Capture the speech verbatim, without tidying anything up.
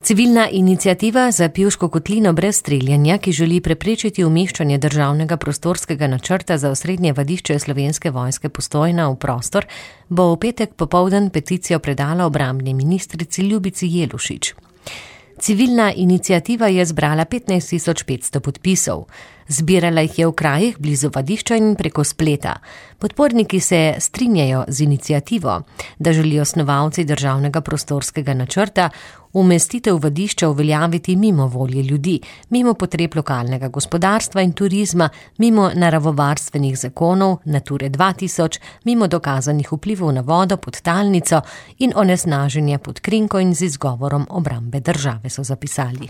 Civilna iniciativa za Pivško kotlino brez streljanja, ki želi preprečiti umeščanje državnega prostorskega načrta za osrednje vadišče Slovenske vojske Postojna v prostor, bo v petek popoldan peticijo predala obrambni ministrici Ljubici Jelušič. Civilna iniciativa je zbrala petnajst tisoč petsto podpisov. Zbirala jih je v krajih blizu vadišča in preko spleta. Podporniki se strinjajo z iniciativo, da želijo snovalci državnega prostorskega načrta umestitev vadišča uveljaviti mimo volje ljudi, mimo potreb lokalnega gospodarstva in turizma, mimo naravovarstvenih zakonov, Nature dva tisoč, mimo dokazanih vplivov na vodo, podtalnico in onesnaženje pod krinko in z izgovorom obrambe države, so zapisali.